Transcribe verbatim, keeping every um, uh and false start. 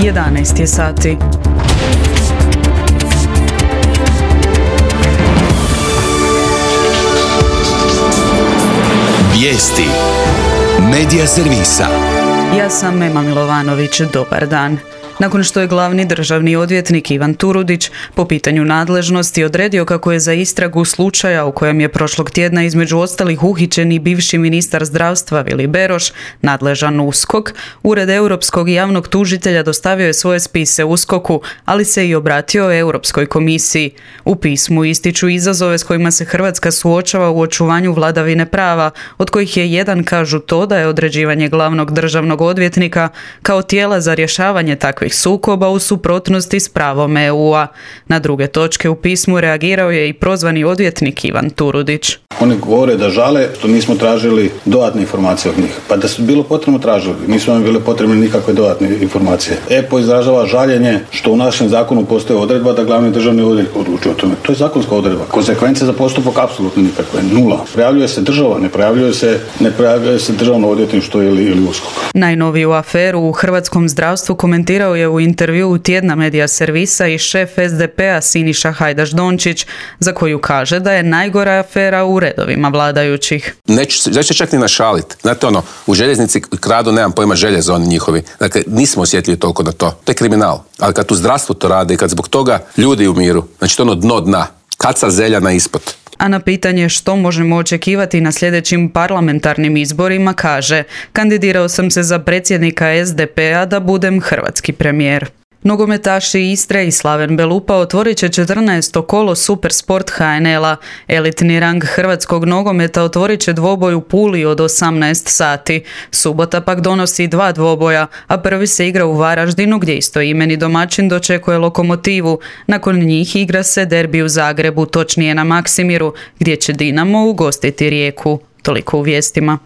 jedanaest je sati. Vijesti Medija servisa. Ja sam Ema Milovanović, dobar dan. Nakon što je glavni državni odvjetnik Ivan Turudić po pitanju nadležnosti odredio kako je za istragu slučaja u kojem je prošlog tjedna između ostalih uhićen i bivši ministar zdravstva Vili Beroš nadležan U S K O K, Ured Europskog javnog tužitelja dostavio je svoje spise U S K O K-u, ali se i obratio Europskoj komisiji. U pismu ističu izazove s kojima se Hrvatska suočava u očuvanju vladavine prava, od kojih je jedan kažu to da je određivanje glavnog državnog odvjetnika kao tijela za rješavanje takvih sukoba u suprotnosti s pravom E U-a. Na druge točke u pismu reagirao je i prozvani odvjetnik Ivan Turudić. Oni govore da žale što nismo tražili dodatne informacije od njih. Pa da su bilo potrebno tražili, nisu nam bile potrebne nikakve dodatne informacije. E P O izražava žaljenje što u našem zakonu postoji odredba da glavni državni odvjetnik odlučuje o tome. To je zakonska odredba. Konsekvence za postupak apsolutno nikakve, nula. Prijavljuje se država, ne prijavljuje se, ne prijavljuje se državno odvjetništvo ili, ili U S K O K. Najnoviju aferu u hrvatskom zdravstvu komentirao je u intervjuu tjedna Medija servisa i šef S D P-a Siniša Hajdaš Dončić, za koju kaže da je najgora afera u redovima vladajućih. Neću, neću čak ni našalit. Znate ono, u željeznici kradu, nemam pojma, željezo oni njihovi. Dakle, nismo osjetljivi toliko na to. To je kriminal. Ali kad u zdravstvu to rade i kad zbog toga ljudi umiru, znači to ono dno dna. Kaca zeljana ispod. A na pitanje što možemo očekivati na sljedećim parlamentarnim izborima kaže: kandidirao sam se za predsjednika S D P-a da budem hrvatski premijer. Nogometaši Istre i Slaven Belupa otvorit će četrnaesto kolo Supersport H N L-a. Elitni rang hrvatskog nogometa otvorit će dvoboj u Puli od osamnaest sati. Subota pak donosi dva dvoboja, a prvi se igra u Varaždinu gdje istoimeni domaćin dočekuje Lokomotivu. Nakon njih igra se derbi u Zagrebu, točnije na Maksimiru, gdje će Dinamo ugostiti Rijeku. Toliko u vijestima.